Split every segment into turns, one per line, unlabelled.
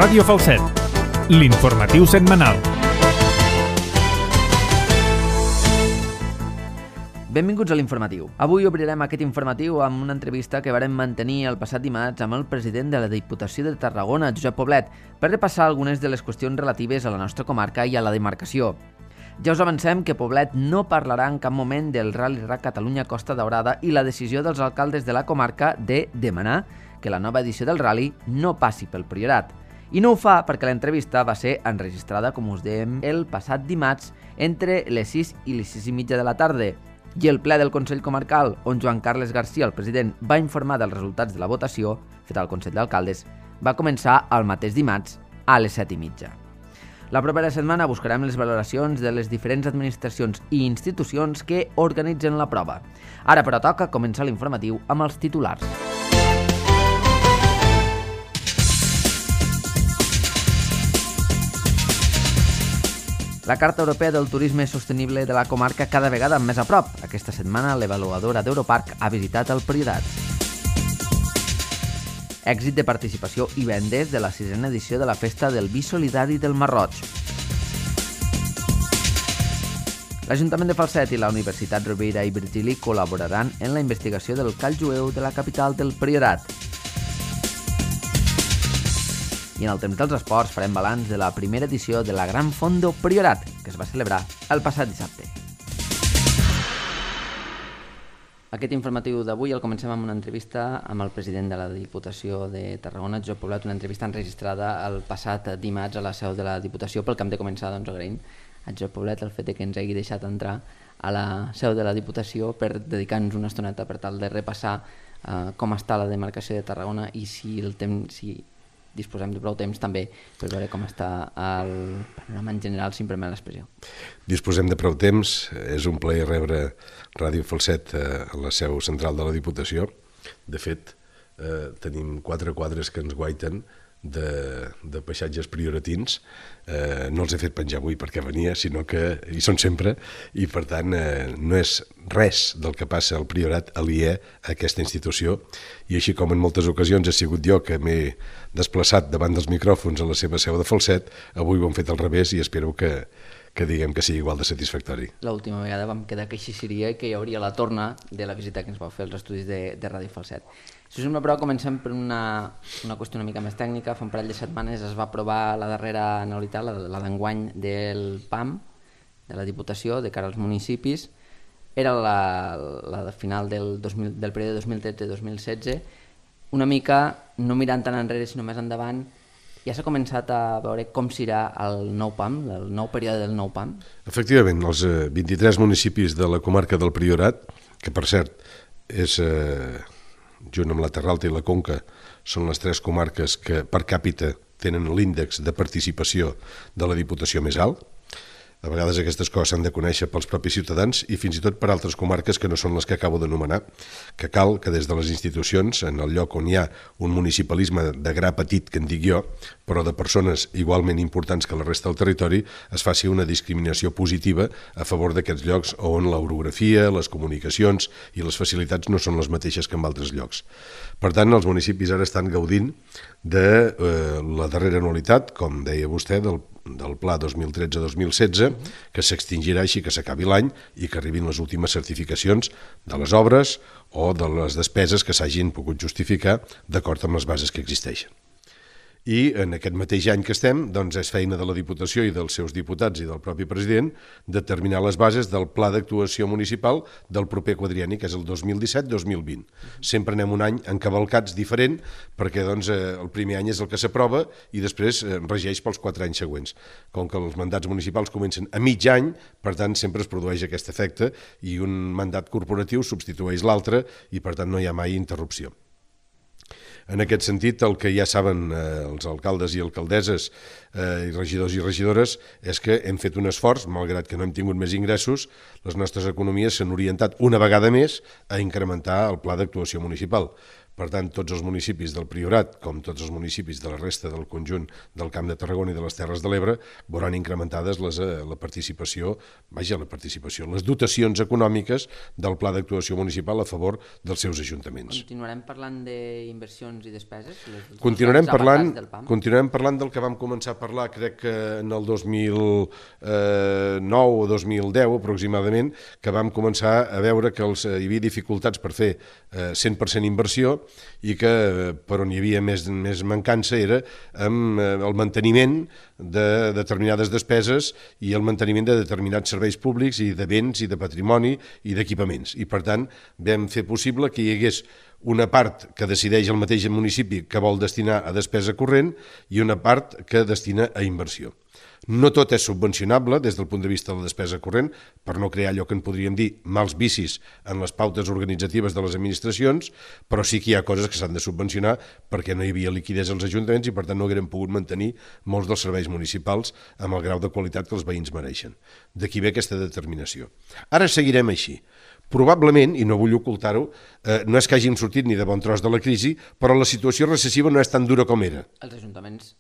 Ràdio Falset, l'informatiu setmanal.
Benvinguts a l'informatiu. Avui obrirem aquest informatiu amb una entrevista que vàrem mantenir el passat dimarts amb el president de la Diputació de Tarragona, Josep Poblet, per repassar algunes de les qüestions relatives a la nostra comarca i a la demarcació. Ja us avancem que Poblet no parlarà en cap moment del Rally Rac Catalunya Costa Daurada i la decisió dels alcaldes de la comarca de demanar que la nova edició del Rally no passi pel Priorat. I no ho fa perquè l'entrevista va ser enregistrada, com us dèiem, el passat dimarts entre les 6 i les 6 i mitja de la tarda. I el ple del Consell Comarcal, on Joan Carles Garcia, el president, va informar dels resultats de la votació feta al Consell d'Alcaldes, va començar el mateix dimarts a les 7 i mitja. La propera setmana buscarem les valoracions de les diferents administracions i institucions que organitzen la prova. Ara, però, toca començar l'informatiu amb els titulars. La Carta Europea del Turisme Sostenible de la comarca cada vegada més a prop. Aquesta setmana l'avaluadora d'Europarc ha visitat el Priorat. Èxit de participació i vendes de la 6a edició de la Festa del Vi Solidari del Marroig. L'Ajuntament de Falset i la Universitat Rovira i Virgili col·laboraran en la investigació del call jueu de la capital del Priorat. I en el temps dels esports farem balanç de la primera edició de la Gran Fondo Priorat, que es va celebrar el passat dissabte. Aquest informatiu d'avui el comencem amb una entrevista amb el president de la Diputació de Tarragona, Josep Poblet, una entrevista enregistrada el passat dimarts a la seu de la Diputació. Pel que hem de començar, doncs, agraint a Josep Poblet el fet que ens hagi deixat entrar a la seu de la Diputació per dedicar-nos una estoneta per tal de repassar com està la demarcació de Tarragona i si disposem de prou temps també per veure com està el panorama en general, si em permet l'expressió.
Disposem de prou temps. És un plaer rebre Ràdio Falset a la seu central de la Diputació. De fet, tenim 4 quadres que ens guaiten de paisatges prioratins. No els he fet penjar avui perquè venia, sinó que hi són sempre i per tant no és res del que passa al Priorat aliè a aquesta institució i així com en moltes ocasions he sigut jo que m'he desplaçat davant dels micròfons a la seva seu de Falset, avui ho hem fet al revés i espero que diguem que sigui igual de satisfactori.
L'última vegada vam quedar que així seria i que hi hauria la torna de la visita que ens vau fer als estudis de Ràdio Falset. Si us sembla, però, comencem per una qüestió una mica més tècnica. Fa un parell de setmanes es va aprovar la darrera anualitat, la d'enguany del PAM, de la Diputació, de cara als municipis. Era la de final del període 2013-2016. Una mica, no mirant tant enrere, sinó més endavant, ja s'ha començat a veure com serà el nou PAM, el nou període del nou PAM?
Efectivament, els 23 municipis de la comarca del Priorat, que per cert és, junt amb la Terra Alta i la Conca, són les 3 comarques que per càpita tenen l'índex de participació de la Diputació més alt. A vegades aquestes coses s'han de conèixer pels propis ciutadans i fins i tot per altres comarques que no són les que acabo d'anomenar, que cal que des de les institucions, en el lloc on hi ha un municipalisme de gra petit, que en dic jo, però de persones igualment importants que la resta del territori, es faci una discriminació positiva a favor d'aquests llocs on l'orografia, les comunicacions i les facilitats no són les mateixes que en altres llocs. Per tant, els municipis ara estan gaudint de la darrera anualitat, com deia vostè, del Pla 2013-2016, que s'extingirà així que s'acabi l'any i que arribin les últimes certificacions de les obres o de les despeses que s'hagin pogut justificar d'acord amb les bases que existeixen. I en aquest mateix any que estem, doncs és feina de la Diputació i dels seus diputats i del propi president determinar les bases del Pla d'actuació municipal del proper quadrienni, que és el 2017-2020. Sempre anem un any encavalcats diferent perquè doncs, el primer any és el que s'aprova i després regeix pels 4 anys següents. Com que els mandats municipals comencen a mig any, per tant sempre es produeix aquest efecte i un mandat corporatiu substitueix l'altre i per tant no hi ha mai interrupció. En aquest sentit, el que ja saben els alcaldes i alcaldesses i regidors i regidores és que hem fet un esforç, malgrat que no hem tingut més ingressos, les nostres economies s'han orientat una vegada més a incrementar el pla d'actuació municipal. Per tant, tots els municipis del Priorat, com tots els municipis de la resta del conjunt del Camp de Tarragona i de les Terres de l'Ebre, veuran incrementades la participació, les dotacions econòmiques del Pla d'actuació municipal a favor dels seus ajuntaments.
Continuarem parlant d'inversions inversions i despeses?
Continuarem parlant del que vam començar a parlar, crec que en el 2009 o 2010 aproximadament, que vam començar a veure que hi havia dificultats per fer 100% inversió i que per on hi havia més mancança era amb el manteniment de determinades despeses i el manteniment de determinats serveis públics i de béns i de patrimoni i d'equipaments. I per tant vam fer possible que hi hagués una part que decideix el mateix municipi que vol destinar a despesa corrent i una part que destina a inversió. No tot és subvencionable des del punt de vista de la despesa corrent, per no crear allò que en podríem dir mals vicis en les pautes organitzatives de les administracions, però sí que hi ha coses que s'han de subvencionar perquè no hi havia liquiditat als ajuntaments i per tant no haguérem pogut mantenir molts dels serveis municipals amb el grau de qualitat que els veïns mereixen. D'aquí ve aquesta determinació. Ara seguirem així. Probablement, i no vull ocultar-ho, no és que hàgim sortit ni de bon tros de la crisi, però la situació recessiva no és tan dura com era.
Els ajuntaments,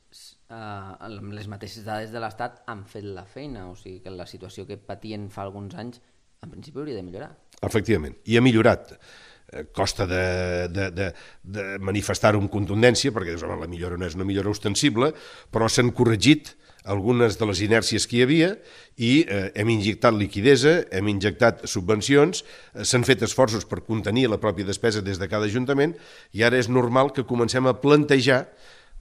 amb les mateixes dades de l'Estat, han fet la feina, o sigui que la situació que patien fa alguns anys, en principi hauria de millorar.
Efectivament, i ha millorat. Costa de manifestar-ho amb contundència, perquè la millora no és una millora ostensible, però s'han corregit algunes de les inèrcies que hi havia i hem injectat liquidesa, hem injectat subvencions, s'han fet esforços per contenir la pròpia despesa des de cada ajuntament i ara és normal que comencem a plantejar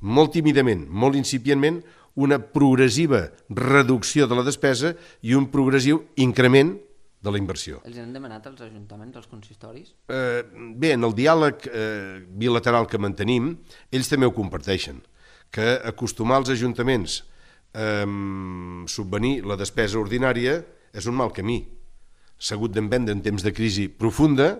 molt tímidament, molt incipientment, una progressiva reducció de la despesa i un progressiu increment de la inversió.
Els han demanat als ajuntaments, als consistoris?
Bé, en el diàleg bilateral que mantenim, ells també ho comparteixen, que acostumar els ajuntaments subvenir la despesa ordinària és un mal camí. S'ha hagut d'emprendre en temps de crisi profunda,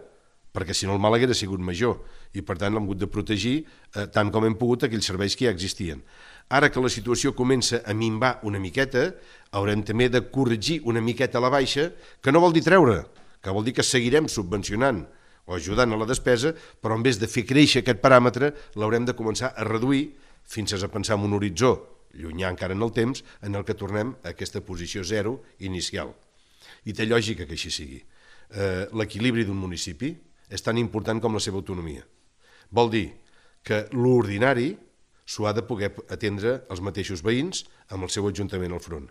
perquè si no el mal haguera sigut major, i per tant hem hagut de protegir tant com hem pogut aquells serveis que ja existien. Ara que la situació comença a minvar una miqueta, haurem també de corregir una miqueta a la baixa, que no vol dir treure, que vol dir que seguirem subvencionant o ajudant a la despesa, però en vez de fer créixer aquest paràmetre, l'haurem de començar a reduir fins a pensar en un horitzó llunyà encara en el temps, en el que tornem a aquesta posició zero inicial. I té lògica que així sigui. L'equilibri d'un municipi és tan important com la seva autonomia. Vol dir que l'ordinari s'ho ha de poder atendre els mateixos veïns amb el seu ajuntament al front.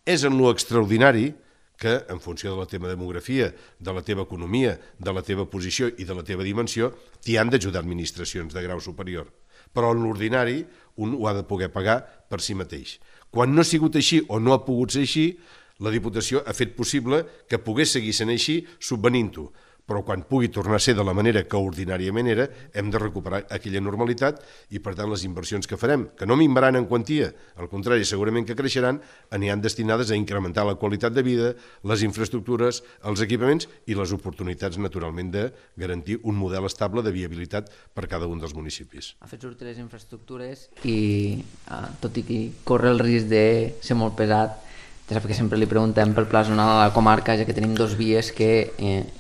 És en lo extraordinari que, en funció de la teva demografia, de la teva economia, de la teva posició i de la teva dimensió, t'hi han d'ajudar administracions de grau superior. Però en l'ordinari un ho ha de poder pagar per si mateix. Quan no ha sigut així o no ha pogut ser així, la Diputació ha fet possible que pogués seguir sent així subvenint-ho. Però quan pugui tornar a ser de la manera que ordinàriament era, hem de recuperar aquella normalitat i, per tant, les inversions que farem, que no minvaran en quantia, al contrari, segurament que creixeran, aniran destinades a incrementar la qualitat de vida, les infraestructures, els equipaments i les oportunitats, naturalment, de garantir un model estable de viabilitat per cada un dels municipis.
Ha fet sortir les infraestructures i, tot i que corre el risc de ser molt pesat, ja sap que sempre li preguntem pel pla zonal a la comarca, ja que tenim dos vies que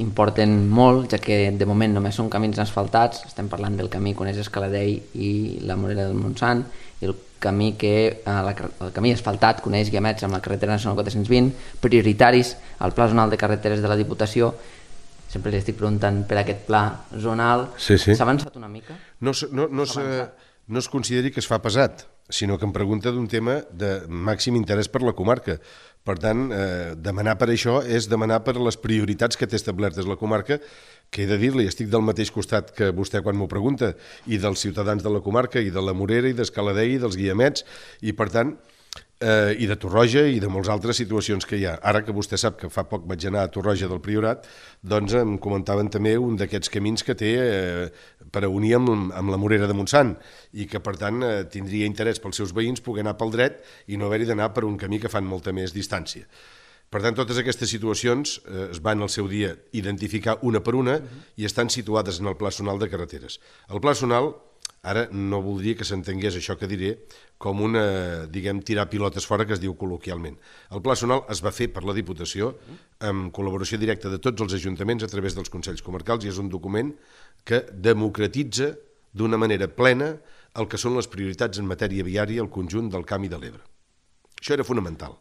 importen molt, ja que de moment només són camins asfaltats, estem parlant del camí que coneix Escaladei i la Morera del Montsant, i el camí asfaltat coneix Guiamets amb la carretera nacional 420, prioritaris al pla zonal de carreteres de la Diputació. Sempre li estic preguntant per aquest pla zonal. S'ha avançat una mica?
No es consideri que es fa pesat, sinó que em pregunta d'un tema de màxim interès per la comarca. Per tant, demanar per això és demanar per les prioritats que té establertes la comarca, que he de dir-li, estic del mateix costat que vostè quan m'ho pregunta, i dels ciutadans de la comarca, i de la Morera, i d'Escaladei, i dels Guiamets, i per tant, i de Torroja i de moltes altres situacions que hi ha. Ara que vostè sap que fa poc vaig anar a Torroja del Priorat, doncs em comentaven també un d'aquests camins que té per a unir amb la Morera de Montsant i que per tant tindria interès pels seus veïns poder anar pel dret i no haver-hi d'anar per un camí que fan molta més distància. Per tant, totes aquestes situacions es van al seu dia identificar una per una i estan situades en el Pla Zonal de Carreteres. El Pla Zonal, ara no voldria que s'entengués això que diré com una, diguem, tirar pilotes fora que es diu col·loquialment. El Pla Zonal es va fer per la Diputació amb col·laboració directa de tots els ajuntaments a través dels Consells Comarcals i és un document que democratitza d'una manera plena el que són les prioritats en matèria viària al conjunt del Camp i de l'Ebre. Això era fonamental.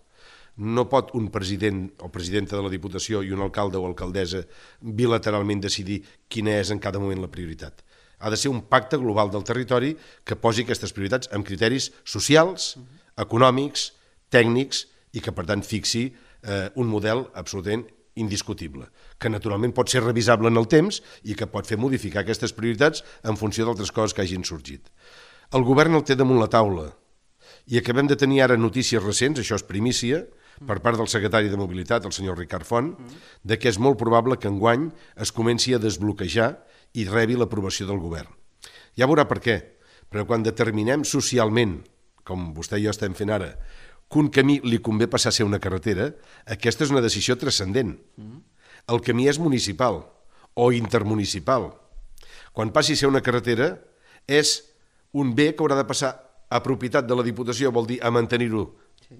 No pot un president o presidenta de la Diputació i un alcalde o alcaldessa bilateralment decidir quina és en cada moment la prioritat. Ha de ser un pacte global del territori que posi aquestes prioritats amb criteris socials, econòmics, tècnics i que, per tant, fixi un model absolutament indiscutible, que naturalment pot ser revisable en el temps i que pot fer modificar aquestes prioritats en funció d'altres coses que hagin sorgit. El govern el té damunt la taula i acabem de tenir ara notícies recents, això és primícia, per part del secretari de Mobilitat, el senyor Ricard Font, de que és molt probable que enguany es comenci a desbloquejar i rebi l'aprovació del govern. Ja veurà per què, però quan determinem socialment, com vostè i jo estem fent ara, que un camí li convé passar a ser una carretera, aquesta és una decisió transcendent. El camí és municipal o intermunicipal. Quan passi a ser una carretera, és un bé que haurà de passar a propietat de la Diputació, vol dir a mantenir-ho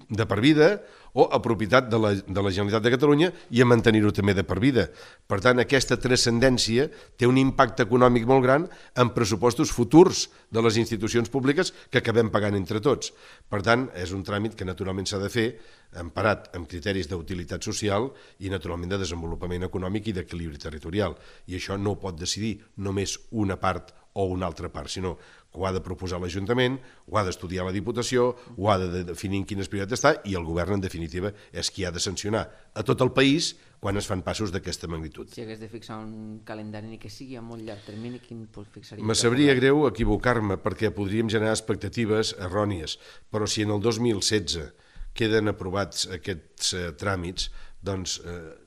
de per vida, o a propietat de la Generalitat de Catalunya i a mantenir-ho també de per vida. Per tant, aquesta transcendència té un impacte econòmic molt gran en pressupostos futurs de les institucions públiques que acabem pagant entre tots. Per tant, és un tràmit que naturalment s'ha de fer emparat amb criteris d'utilitat social i naturalment de desenvolupament econòmic i d'equilibri territorial. I això no ho pot decidir només una part o una altra part, sinó que ho ha de proposar l'Ajuntament, ho ha d'estudiar la Diputació, ho ha de definir en quines prioritats està i el govern, en definitiva, és qui ha de sancionar a tot el país quan es fan passos d'aquesta magnitud.
Si hagués de fixar un calendari ni que sigui a molt llarg termini, quin fixaria?
Me sabria greu equivocar-me perquè podríem generar expectatives errònies, però si en el 2016 queden aprovats aquests tràmits, doncs,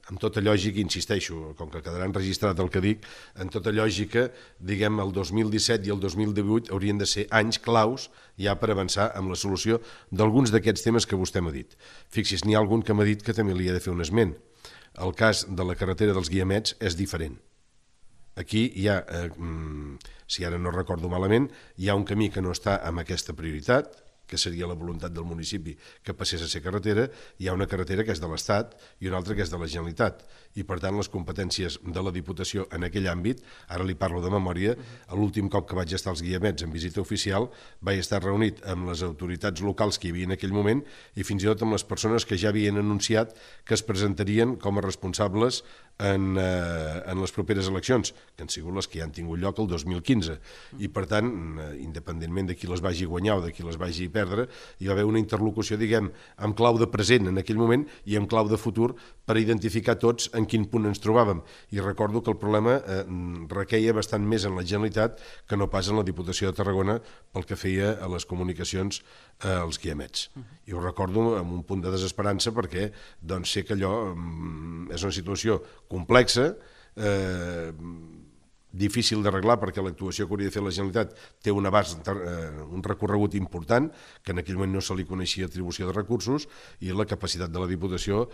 amb tota lògica, insisteixo, com que quedarà enregistrat el que dic, en tota lògica, diguem, el 2017 i el 2018 haurien de ser anys claus ja per avançar amb la solució d'alguns d'aquests temes que vostè m'ha dit. Fixi's, n'hi ha algun que m'ha dit que també li he de fer un esment. El cas de la carretera dels Guiamets és diferent. Aquí hi ha, si ara no recordo malament, hi ha un camí que no està amb aquesta prioritat, que seria la voluntat del municipi que passés a ser carretera, hi ha una carretera que és de l'Estat i una altra que és de la Generalitat. I, per tant, les competències de la Diputació en aquell àmbit, ara li parlo de memòria, l'últim cop que vaig estar als Guiamets en visita oficial, vaig estar reunit amb les autoritats locals que hi havia en aquell moment i fins i tot amb les persones que ja havien anunciat que es presentarien com a responsables en les properes eleccions, que han sigut les que ja han tingut lloc el 2015. I, per tant, independentment de qui les vagi guanyar o de qui les vagi perdre, hi va haver una interlocució, diguem, amb clau de present en aquell moment i amb clau de futur per identificar tots en quin punt ens trobàvem. I recordo que el problema requeia bastant més en la Generalitat que no pas en la Diputació de Tarragona pel que feia a les comunicacions als Guiamets. I ho recordo amb un punt de desesperança perquè doncs, sé que allò és una situació complexa, difícil d'arreglar perquè l'actuació que hauria de fer la Generalitat té un abast, un recorregut important, que en aquell moment no se li coneixia atribució de recursos, i la capacitat de la Diputació,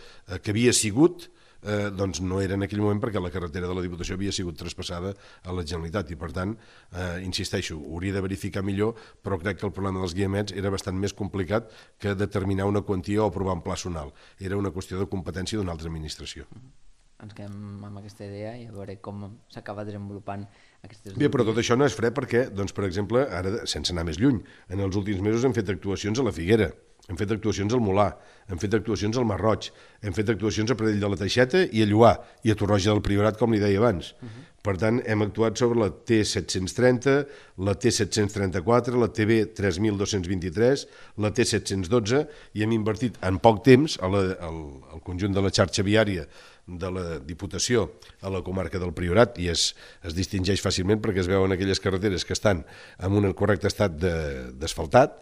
que havia sigut, doncs no era en aquell moment perquè la carretera de la Diputació havia sigut traspassada a la Generalitat i, per tant, insisteixo, hauria de verificar millor, però crec que el problema dels Guiamets era bastant més complicat que determinar una quantia o aprovar un pla zonal. Era una qüestió de competència d'una altra administració.
Ens quedem amb aquesta idea i a veure com s'acaba desenvolupant aquestes...
Bé, però tot això no és fre perquè, doncs, per exemple, ara, sense anar més lluny, en els últims mesos hem fet actuacions a la Figuera, hem fet actuacions al Molar, hem fet actuacions al Masroig, hem fet actuacions a Pradell de la Teixeta i a Lloar, i a Torroja del Priorat, com li deia abans. Per tant, hem actuat sobre la T730, la T734, la TB 3223, la T712, i hem invertit en poc temps al conjunt de la xarxa viària de la Diputació a la comarca del Priorat, i es distingeix fàcilment perquè es veuen aquelles carreteres que estan en un correcte estat d'asfaltat,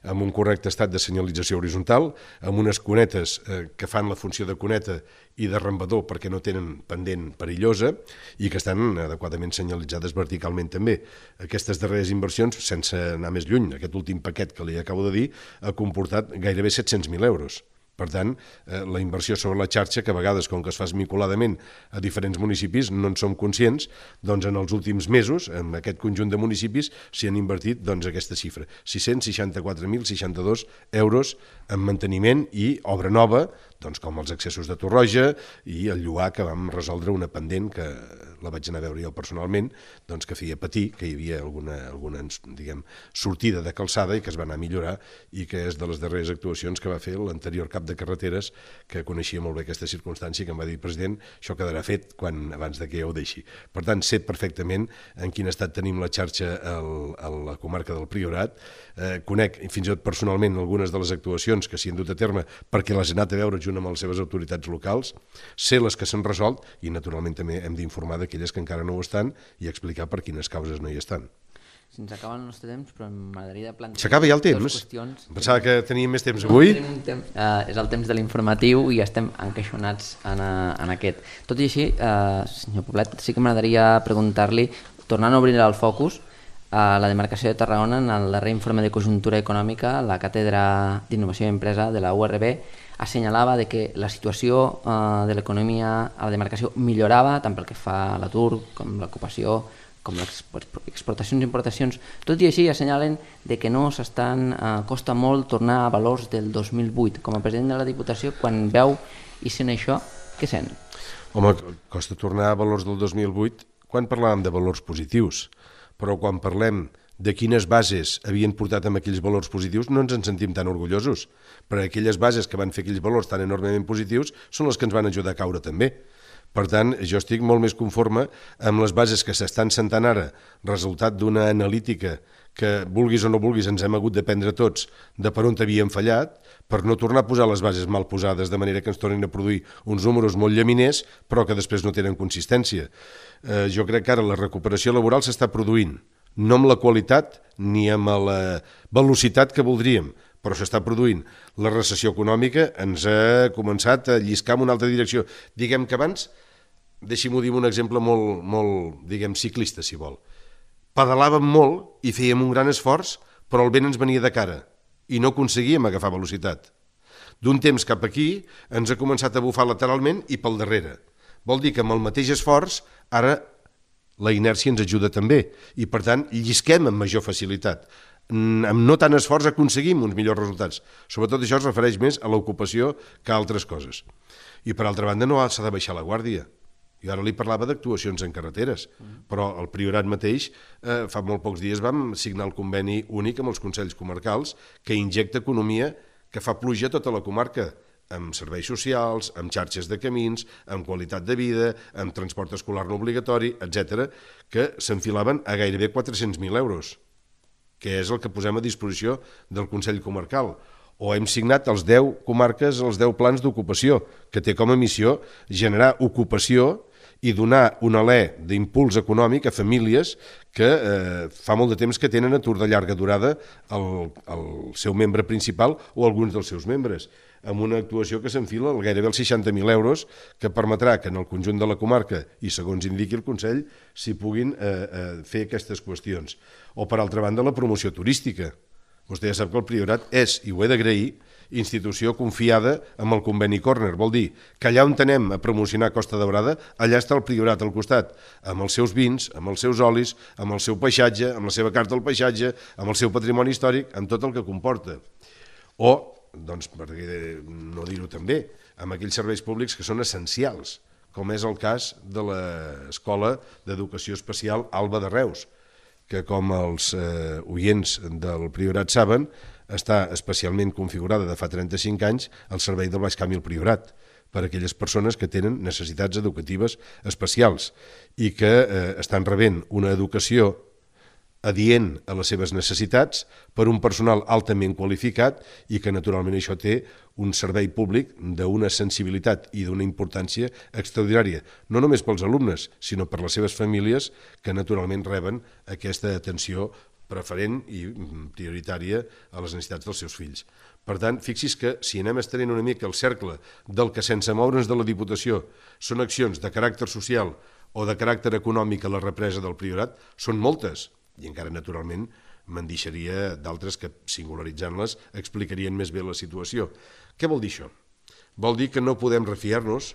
amb un correcte estat de senyalització horitzontal, amb unes cunetes que fan la funció de cuneta i de rambador perquè no tenen pendent perillosa i que estan adequadament senyalitzades verticalment també. Aquestes darreres inversions, sense anar més lluny, aquest últim paquet que li acabo de dir, ha comportat gairebé 700.000 euros. Per tant, la inversió sobre la xarxa, que a vegades, com que es fa esmicoladament a diferents municipis, no en som conscients, doncs en els últims mesos, en aquest conjunt de municipis, s'hi han invertit aquesta xifra, 664.062 euros en manteniment i obra nova, doncs com els accessos de Torroja i el Lloar, que vam resoldre una pendent que la vaig anar a veure jo personalment, doncs que feia patir, que hi havia alguna diguem, sortida de calçada i que es va anar a millorar i que és de les darreres actuacions que va fer l'anterior cap cap de carreteres que coneixia molt bé aquesta circumstància i que em va dir, president, això quedarà fet abans de que ho deixi. Per tant, sé perfectament en quin estat tenim la xarxa a la comarca del Priorat, conec fins i tot personalment algunes de les actuacions que s'hi han dut a terme perquè les he anat a veure junt amb les seves autoritats locals, sé les que s'han resolt i naturalment també hem d'informar d'aquelles que encara no ho estan i explicar per quines causes no hi estan.
Se'ns acaba el nostre temps, però m'agradaria plantejar...
S'acaba ja el temps? Pensava que teníem més temps avui.
És el temps de l'informatiu i estem encaixonats en aquest. Tot i així, senyor Poblet, sí que m'agradaria preguntar-li, tornant a obrir el focus, a la demarcació de Tarragona, en el darrer informe de conjuntura econòmica, la Càtedra d'Innovació i Empresa de la URB assenyalava de que la situació de l'economia a la demarcació millorava, tant pel que fa a l'atur com l'ocupació, com les exportacions i importacions. Tot i així assenyalen de que no costa molt tornar a valors del 2008. Com a president de la Diputació, quan veu i sent això, què sent?
Home, costa tornar a valors del 2008 quan parlàvem de valors positius, però quan parlem de quines bases havien portat amb aquells valors positius no ens en sentim tan orgullosos, perquè aquelles bases que van fer aquells valors tan enormement positius són les que ens van ajudar a caure també. Per tant, jo estic molt més conforme amb les bases que s'estan sentant ara, resultat d'una analítica que, vulguis o no vulguis, ens hem hagut de prendre tots de per on havíem fallat, per no tornar a posar les bases mal posades, de manera que ens tornin a produir uns números molt llaminers, però que després no tenen consistència. Jo crec que ara la recuperació laboral s'està produint, no amb la qualitat ni amb la velocitat que voldríem, però s'està produint. La recessió econòmica ens ha començat a lliscar en una altra direcció. Diguem que abans, deixi-m'ho dir un exemple molt ciclista, si vol. Pedalàvem molt i fèiem un gran esforç, però el vent ens venia de cara i no aconseguíem agafar velocitat. D'un temps cap aquí ens ha començat a bufar lateralment i pel darrere. Vol dir que amb el mateix esforç ara la inèrcia ens ajuda també i per tant llisquem amb major facilitat. Amb no tant esforç aconseguim uns millors resultats. Sobretot això es refereix més a l'ocupació que a altres coses. I per altra banda no s'ha de baixar la guàrdia. Jo ara li parlava d'actuacions en carreteres, però el Priorat mateix fa molt pocs dies vam signar el conveni únic amb els Consells Comarcals que injecta economia que fa pluja a tota la comarca, amb serveis socials, amb xarxes de camins, amb qualitat de vida, amb transport escolar no obligatori, etc., que s'enfilaven a gairebé 400.000 euros, que és el que posem a disposició del Consell Comarcal. O hem signat els 10 comarques, els 10 plans d'ocupació, que té com a missió generar ocupació i donar un alè d'impuls econòmic a famílies que fa molt de temps que tenen atur de llarga durada el seu membre principal o alguns dels seus membres, amb una actuació que s'enfila gairebé els 60.000 euros que permetrà que en el conjunt de la comarca, i segons indiqui el Consell, s'hi puguin fer aquestes qüestions. O, per altra banda, la promoció turística. Vostè ja sap que el Priorat és, i ho he d'agrair, institució confiada amb el conveni Corner. Vol dir que allà on anem a promocionar Costa Daurada, allà està el Priorat al costat, amb els seus vins, amb els seus olis, amb el seu paisatge, amb la seva carta del paisatge, amb el seu patrimoni històric, amb tot el que comporta. O, doncs, per no dir-ho també, amb aquells serveis públics que són essencials, com és el cas de l'Escola d'Educació Especial Alba de Reus, que, com els oients del Priorat saben, està especialment configurada de fa 35 anys al servei del Baix Camp i el Priorat, per a aquelles persones que tenen necessitats educatives especials i que estan rebent una educació adient a les seves necessitats per un personal altament qualificat i que naturalment això té un servei públic d'una sensibilitat i d'una importància extraordinària, no només pels alumnes, sinó per les seves famílies que naturalment reben aquesta atenció preferent i prioritària a les necessitats dels seus fills. Per tant, fixi's que si anem estenent una mica el cercle del que sense moure'ns de la Diputació són accions de caràcter social o de caràcter econòmic a la represa del Priorat, són moltes, i encara naturalment me'n deixaria d'altres que, singularitzant-les, explicarien més bé la situació. Què vol dir això? Vol dir que no podem refiar-nos,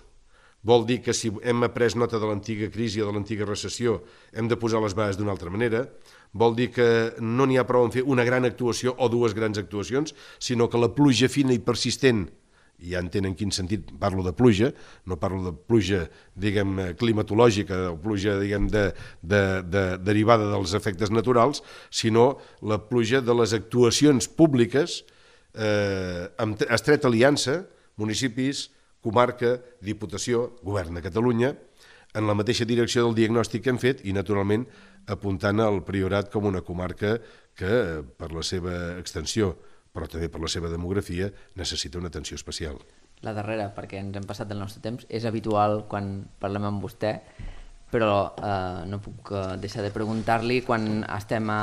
vol dir que si hem après nota de l'antiga crisi o de l'antiga recessió hem de posar les bases d'una altra manera, vol dir que no n'hi ha prou en fer una gran actuació o dues grans actuacions, sinó que la pluja fina i persistent, i ja entenen en quin sentit parlo de pluja, no parlo de pluja, diguem, climatològica o pluja, diguem, derivada dels efectes naturals, sinó la pluja de les actuacions públiques amb estreta aliança, municipis, comarca, diputació, govern de Catalunya, en la mateixa direcció del diagnòstic que hem fet i, naturalment, apuntant al Priorat com una comarca que, per la seva extensió, però també per la seva demografia, necessita una atenció especial.
La darrera, perquè ens hem passat del nostre temps, és habitual quan parlem amb vostè, però no puc deixar de preguntar-li, quan estem a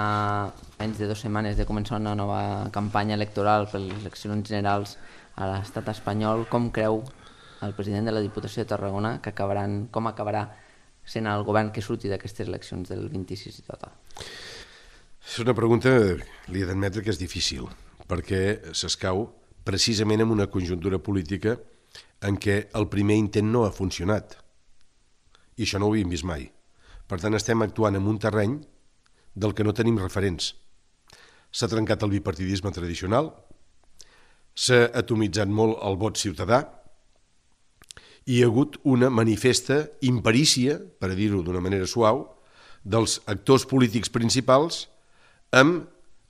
menys de 2 setmanes de començar una nova campanya electoral per les eleccions generals a l'estat espanyol, com creu el president de la Diputació de Tarragona com acabarà sent el govern que surti d'aquestes eleccions del 26 i tot?
És una pregunta, li he d'admetre que és difícil, perquè s'escau precisament en una conjuntura política en què el primer intent no ha funcionat. I això no ho havíem vist mai. Per tant, estem actuant en un terreny del que no tenim referents. S'ha trencat el bipartidisme tradicional, s'ha atomitzat molt el vot ciutadà i hi ha hagut una manifesta imperícia, per dir-ho d'una manera suau, dels actors polítics principals amb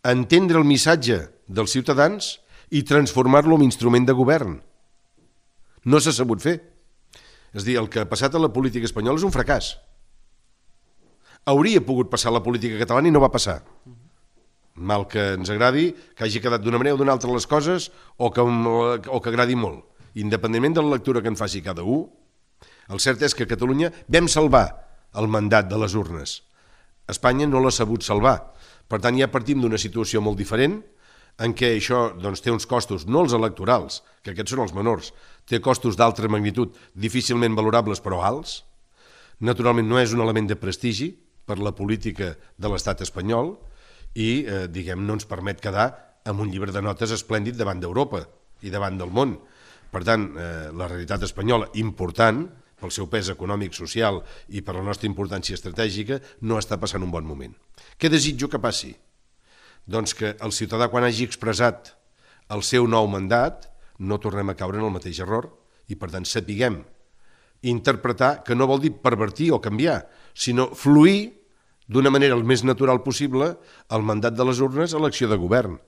entendre el missatge dels ciutadans i transformar-lo en instrument de govern. No s'ha sabut fer. És a dir, el que ha passat a la política espanyola és un fracàs. Hauria pogut passar a la política catalana i no va passar. Mal que ens agradi, que hagi quedat d'una manera o d'una altra les coses o que agradi molt. Independentment de la lectura que en faci cada un, el cert és que a Catalunya vam salvar el mandat de les urnes. Espanya no l'ha sabut salvar. Per tant, ja partim d'una situació molt diferent en què això té uns costos, no els electorals, que aquests són els menors, té costos d'altra magnitud, difícilment valorables però alts. Naturalment no és un element de prestigi per la política de l'estat espanyol i no ens permet quedar amb un llibre de notes esplèndid davant d'Europa i davant del món. Per tant, la realitat espanyola, important pel seu pes econòmic, social i per la nostra importància estratègica, no està passant un bon moment. Què desitjo que passi? Doncs que el ciutadà, quan hagi expressat el seu nou mandat, no tornem a caure en el mateix error i, per tant, sapiguem interpretar, que no vol dir pervertir o canviar, sinó fluir d'una manera el més natural possible el mandat de les urnes a l'acció de govern.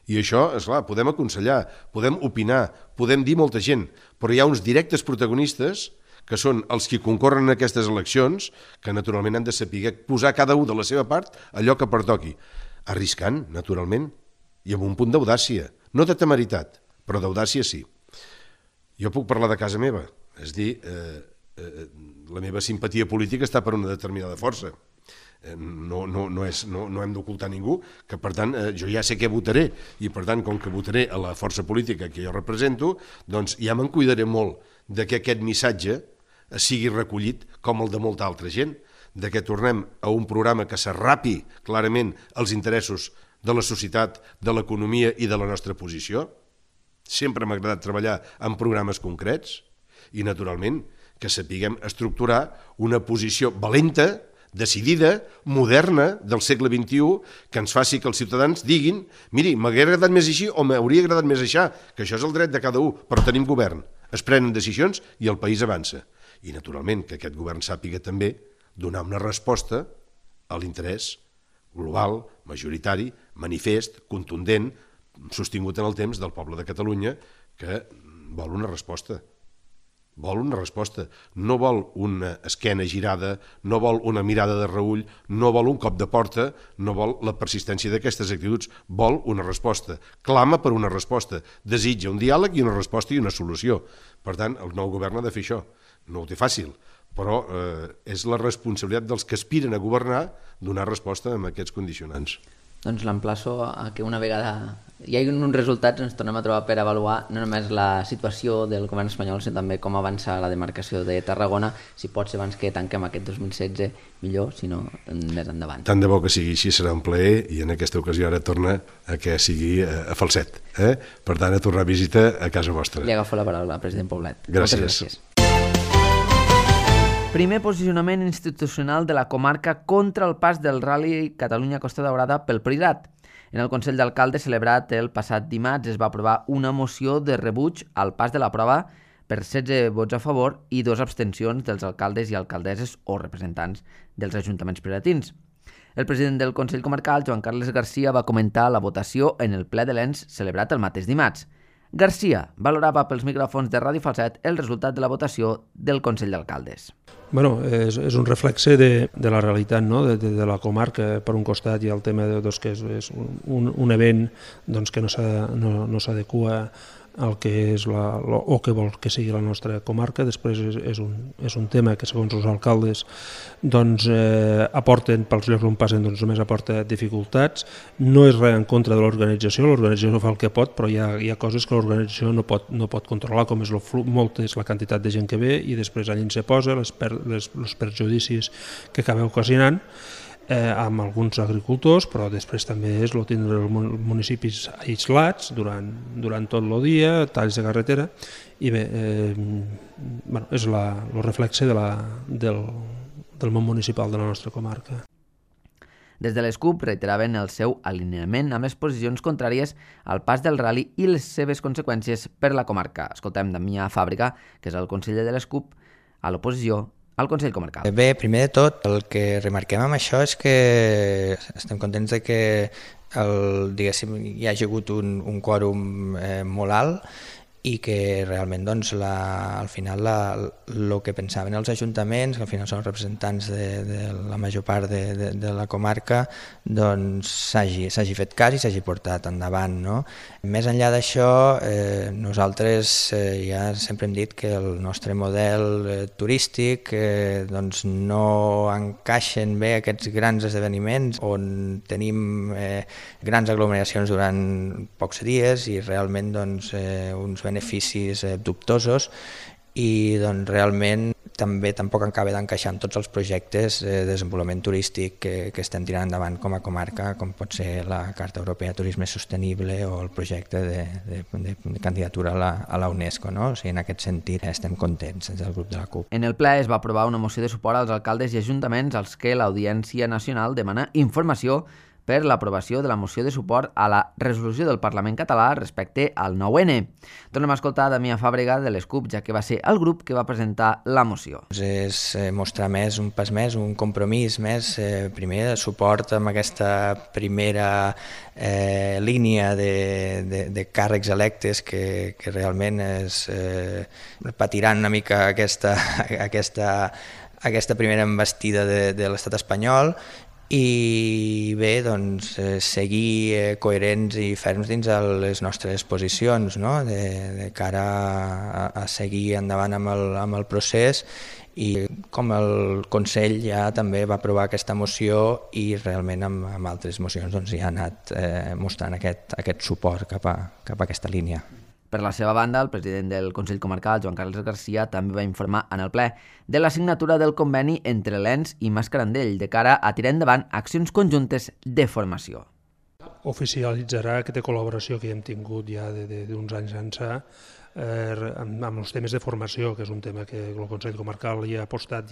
I això, esclar, podem aconsellar, podem opinar, podem dir molta gent, però hi ha uns directes protagonistes que són els que concorren en aquestes eleccions, que naturalment han de saber posar cada un de la seva part allò que pertoqui, arriscant, naturalment, i amb un punt d'audàcia, no de temeritat, però d'audàcia sí. Jo puc parlar de casa meva, és dir, la meva simpatia política està per una determinada força. No hem d'ocultar ningú, que per tant jo ja sé què votaré i per tant com que votaré a la força política que jo represento, doncs ja me'n cuidaré molt de que aquest missatge sigui recollit com el de molta altra gent, de que tornem a un programa que s'arrapi clarament els interessos de la societat, de l'economia i de la nostra posició. Sempre m'ha agradat treballar en programes concrets i naturalment que sapiguem estructurar una posició valenta, decidida, moderna, del segle XXI, que ens faci que els ciutadans diguin miri, m'hauria agradat més així o m'hauria agradat més així, que això és el dret de cada un, però tenim govern, es prenen decisions i el país avança. I naturalment que aquest govern sàpiga també donar una resposta a l'interès global, majoritari, manifest, contundent, sostingut en el temps del poble de Catalunya, que vol una resposta. Vol una resposta, no vol una esquena girada, no vol una mirada de reüll, no vol un cop de porta, no vol la persistència d'aquestes actituds, vol una resposta, clama per una resposta, desitja un diàleg i una resposta i una solució. Per tant, el nou govern ha de fer això, no ho té fàcil, però és la responsabilitat dels que aspiren a governar donar resposta a aquests condicionants.
Doncs l'emplaço a que una vegada hi hagi uns resultats ens tornem a trobar per avaluar no només la situació del govern espanyol, sinó també com avança la demarcació de Tarragona, si pot ser abans que tanquem aquest 2016 millor, si no més endavant.
Tant de bo que sigui així, serà un plaer i en aquesta ocasió ara torna a que sigui a Falset. Per tant, a tornar a visita a casa vostra.
Li agafo la paraula, president Poblet.
Gràcies.
Moltes gràcies. Primer posicionament institucional de la comarca contra el pas del Rally Catalunya-Costa Daurada pel Priorat. En el Consell d'Alcaldes celebrat el passat dimarts es va aprovar una moció de rebuig al pas de la prova per 16 vots a favor i 2 abstencions dels alcaldes i alcaldesses o representants dels ajuntaments prioratins. El president del Consell Comarcal, Joan Carles Garcia, va comentar la votació en el ple de l'ENS celebrat el mateix dimarts. Garcia valorava pels micròfons de Ràdio Falset el resultat de la votació del Consell d'Alcaldes.
Bueno, és un reflexe de la realitat, no? de la comarca. Per un costat hi ha el tema que és un event que no s'adequa al que és o que vol que sigui la nostra comarca. Després és un tema que segons els alcaldes aporten, pels llocs on passen només aporta dificultats. No és res en contra de l'organització fa el que pot, però hi ha coses que l'organització no pot controlar, com és la quantitat de gent que ve i després allà se posa, els perjudicis que acaba ocasionant amb alguns agricultors, però després també és tindre els municipis aislats durant tot el dia, talls de carretera, i bé, és el reflexe del món municipal de la nostra comarca.
Des de les CUP reiteraven el seu alineament amb les posicions contràries al pas del rally i les seves conseqüències per la comarca. Escoltem Damià Fàbrega, que és el conseller de les CUP, a l'oposició al Consell Comarcal.
Bé, primer de tot, el que remarquem amb això és que estem contents de que hi hagi hagut un quòrum molt alt i que realment al final el que pensaven els ajuntaments, que al final són representants de la major part de la comarca, s'hagi fet cas i s'hagi portat endavant, no? Més enllà d'això, nosaltres ja sempre hem dit que el nostre model turístic no encaixen bé aquests grans esdeveniments on tenim grans aglomeracions durant pocs dies i realment uns beneficis dubtosos i realment també tampoc acaba d'encaixar amb tots els projectes de desenvolupament turístic que estem tirant endavant com a comarca, com pot ser la Carta Europea de Turisme Sostenible o el projecte de candidatura a la UNESCO, no? O sigui, en aquest sentit estem contents des del grup de la CUP.
En el ple es va aprovar una moció de suport als alcaldes i ajuntaments als que l'Audiència Nacional demana informació per l'aprovació de la moció de suport a la resolució del Parlament català respecte al 9N. Tornem a escoltar Damià Fàbrega de les CUP, ja que va ser el grup que va presentar la moció.
És mostrar un pas més, un compromís més, primer de suport amb aquesta primera línia de càrrecs electes que realment patiran una mica aquesta primera embestida de l'estat espanyol i bé, seguir coherents i ferms dins les nostres posicions, no? de cara a seguir endavant amb el procés i com el Consell ja també va aprovar aquesta moció i realment amb altres mocions ja ha anat mostrant aquest suport cap a aquesta línia.
Per la seva banda, el president del Consell Comarcal, Joan Carles Garcia, també va informar en el ple de la signatura del conveni entre l'ENS i Mascarandell de cara a tirar endavant accions conjuntes de formació.
Oficialitzarà aquesta col·laboració que hem tingut ja d'uns anys ençà amb els temes de formació, que és un tema que el Consell Comarcal hi ha apostat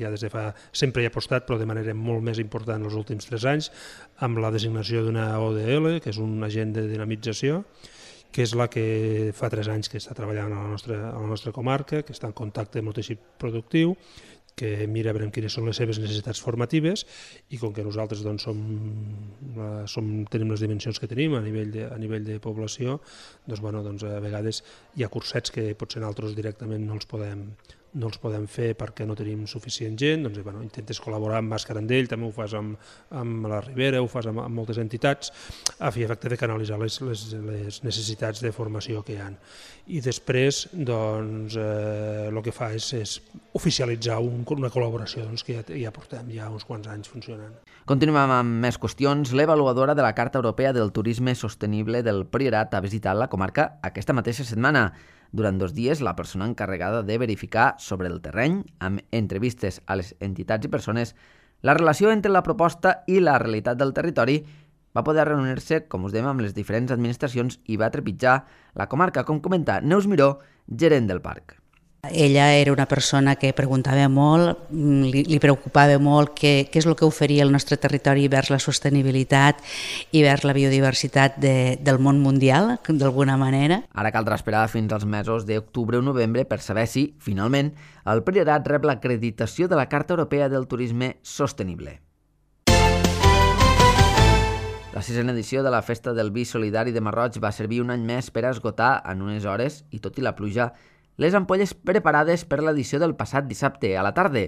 sempre hi ha apostat, però de manera molt més important els últims 3 anys, amb la designació d'una ODL, que és un agent de dinamització, que és la que fa 3 anys que està treballant a la nostra comarca, que està en contacte amb el teixit productiu, que mira a veure quines són les seves necessitats formatives i com que nosaltres tenim les dimensions que tenim a nivell de població, a vegades hi ha cursets que potser nosaltres directament no els podem fer perquè no tenim suficient gent, intentes col·laborar amb Mascarandell, també ho fas amb la Ribera, ho fas amb moltes entitats, a fi i efecte de canalitzar les necessitats de formació que hi ha. I després el que fa és oficialitzar una col·laboració que ja portem uns quants anys funcionant.
Continuem amb més qüestions. L'avaluadora de la Carta Europea del Turisme Sostenible del Priorat ha visitat la comarca aquesta mateixa setmana. Durant 2 dies, la persona encarregada de verificar sobre el terreny, amb entrevistes a les entitats i persones, la relació entre la proposta i la realitat del territori, va poder reunir-se, com us dèiem, amb les diferents administracions i va trepitjar la comarca, com comenta Neus Miró, gerent del parc.
Ella era una persona que preguntava molt, li preocupava molt què és el que oferia el nostre territori vers la sostenibilitat i vers la biodiversitat del món mundial, d'alguna manera.
Ara caldrà esperar fins als mesos d'octubre o novembre per saber si, finalment, el Priorat rep l'acreditació de la Carta Europea del Turisme Sostenible. La 6a edició de la Festa del Vi Solidari de Marroig va servir un any més per esgotar en unes hores, i tot i la pluja, les ampolles preparades per l'edició del passat dissabte a la tarda.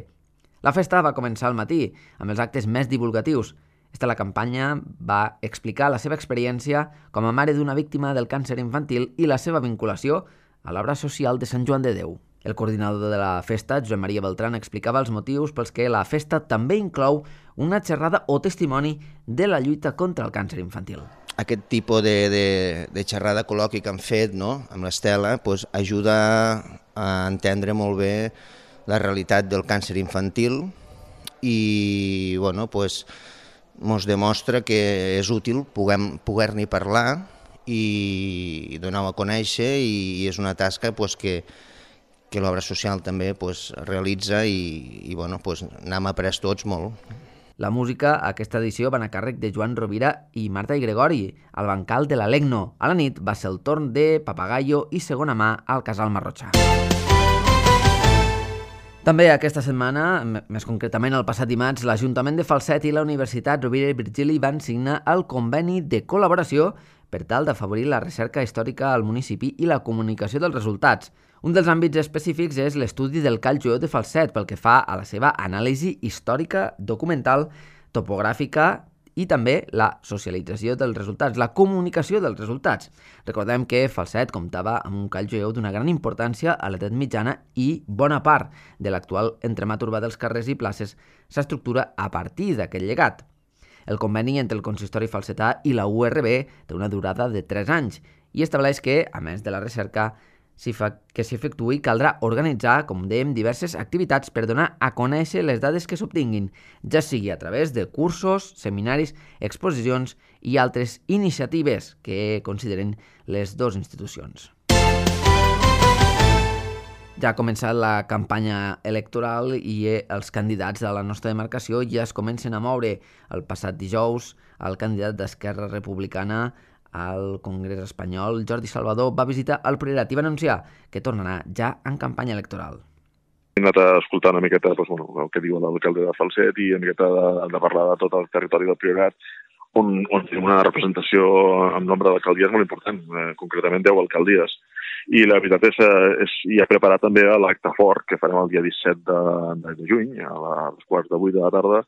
La festa va començar al matí, amb els actes més divulgatius. La campanya va explicar la seva experiència com a mare d'una víctima del càncer infantil i la seva vinculació a l'obra social de Sant Joan de Déu. El coordinador de la festa, Josep Maria Beltran, explicava els motius pels que la festa també inclou una xerrada o testimoni de la lluita contra el càncer infantil.
Aquest tipus de xerrada col·loqui que han fet, no?, amb l'Estela, ajuda a entendre molt bé la realitat del càncer infantil i ens demostra que és útil poder-n'hi parlar i donar-ho a conèixer, i és una tasca que l'obra social també realitza i n'hem après tots molt.
La música a aquesta edició va anar a càrrec de Joan Rovira i Marta i Gregori, al bancal de la Legno. A la nit va ser el torn de Papagayo i Segona mà al Casal Marrotxà. També aquesta setmana, més concretament el passat dimarts, l'Ajuntament de Falset i la Universitat Rovira i Virgili van signar el conveni de col·laboració per tal d'afavorir la recerca històrica al municipi i la comunicació dels resultats. Un dels àmbits específics és l'estudi del Call Jueu de Falset pel que fa a la seva anàlisi històrica, documental, topogràfica i també la socialització dels resultats, la comunicació dels resultats. Recordem que Falset comptava amb un call jueu d'una gran importància a l'edat mitjana i bona part de l'actual entremat urbà dels carrers i places s'estructura a partir d'aquest llegat. El conveni entre el consistori falsetà i la URB té una durada de 3 anys i estableix que, a més de la recerca que s'efectuï, caldrà organitzar, com dèiem, diverses activitats per donar a conèixer les dades que s'obtinguin, ja sigui a través de cursos, seminaris, exposicions i altres iniciatives que consideren les dues institucions. Ja ha començat la campanya electoral i els candidats de la nostra demarcació ja es comencen a moure. El passat dijous, el candidat d'Esquerra Republicana al Congrés espanyol, Jordi Salvador, va visitar el Priorat i va anunciar que tornarà ja en campanya electoral.
He anat a escoltar una miqueta el que diu l'alcalde de Falset i una miqueta de parlar de tot el territori del Priorat, on tenim una representació amb nombre d'alcaldies molt important, concretament 10 alcaldies. I la veritat és ja preparat també l'acte fort que farem el dia 17 de juny, a les 7:45 de la tarda,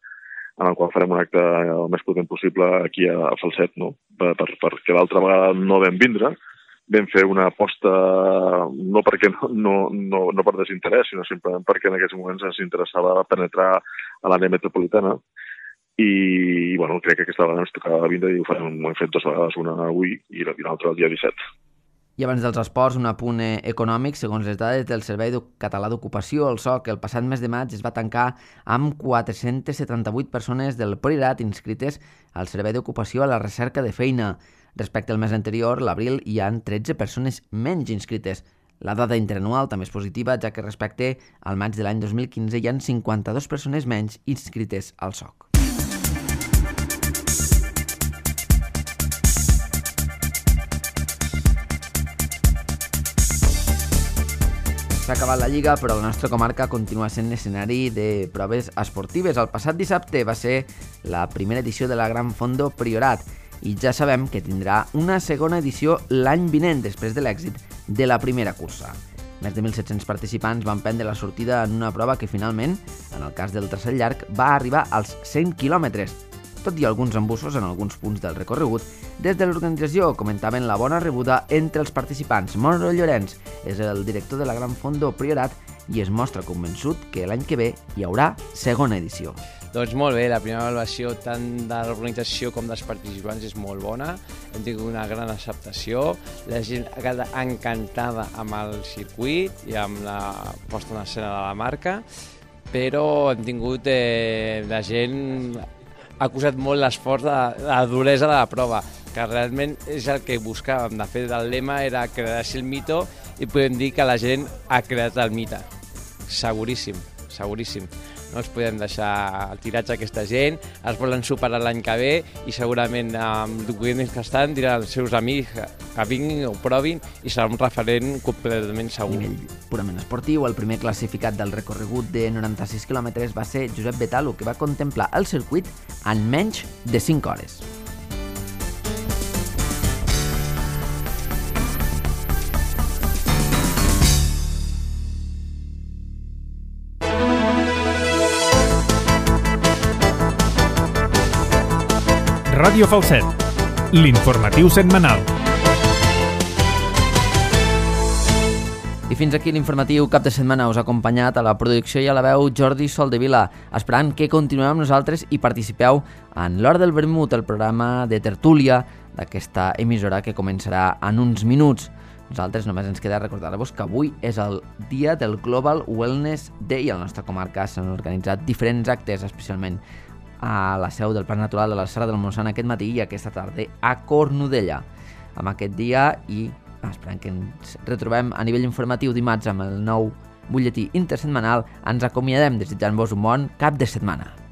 en el qual farem un acte el més potent possible aquí a Falset, no? Perquè l'altra vegada no vam vindre, vam fer una aposta no per desinterès, sinó simplement perquè en aquests moments ens interessava penetrar a l'àrea metropolitana i crec que aquesta vegada ens tocava vindre i ho hem fet 2 vegades, una avui i l'altra el dia 17.
I abans dels esports, un apunt econòmic. Segons les dades del Servei Català d'Ocupació, el SOC, el passat mes de maig es va tancar amb 478 persones del Priorat inscrites al Servei d'Ocupació a la recerca de feina. Respecte al mes anterior, l'abril, hi ha 13 persones menys inscrites. La dada interanual també és positiva, ja que respecte al maig de l'any 2015 hi ha 52 persones menys inscrites al SOC. S'ha acabat la Lliga, però la nostra comarca continua sent escenari de proves esportives. El passat dissabte va ser la primera edició de la Gran Fondo Priorat i ja sabem que tindrà una segona edició l'any vinent, després de l'èxit de la primera cursa. Més de 1.700 participants van prendre la sortida en una prova que finalment, en el cas del traçat llarg, va arribar als 100 quilòmetres. Tot i alguns embussos en alguns punts del recorregut, des de l'organització comentaven la bona rebuda entre els participants. Moro Llorenç és el director de la Gran Fondo Priorat i es mostra convençut que l'any que ve hi haurà segona edició.
Doncs molt bé, la primera valoració tant de l'organització com dels participants és molt bona, hem tingut una gran acceptació, la gent ha quedat encantada amb el circuit i amb la posta en escena de la marca, però hem tingut la gent ha acusat molt l'esforç de la duresa de la prova, que realment és el que buscàvem. De fet, el lema era crear el mito i podem dir que la gent ha creat el mite. Seguríssim, seguríssim. No els podem deixar tirats a aquesta gent, es volen superar l'any que ve i segurament amb documents que estan diran als seus amics que vinguin o provin i serà un referent completament segur.
A nivell purament esportiu, el primer classificat del recorregut de 96 quilòmetres va ser Josep Betalo, que va contemplar el circuit en menys de 5 hores.
Ràdio Falset, l'informatiu setmanal.
I fins aquí l'informatiu cap de setmana. Us ha acompanyat a la producció i a la veu Jordi Soldevila, esperant que continueu amb nosaltres i participeu en l'Hora del Vermut, el programa de tertúlia d'aquesta emissora que començarà en uns minuts. Nosaltres només ens queda recordar-vos que avui és el dia del Global Wellness Day. A la nostra comarca s'han organitzat diferents actes, especialment a la seu del Parc Natural de la Serra del Montsant aquest matí i aquesta tarda a Cornudella. Amb aquest dia i esperant que ens retrobem a nivell informatiu dimarts amb el nou butlletí intersetmanal, ens acomiadem desitjant-vos un bon cap de setmana.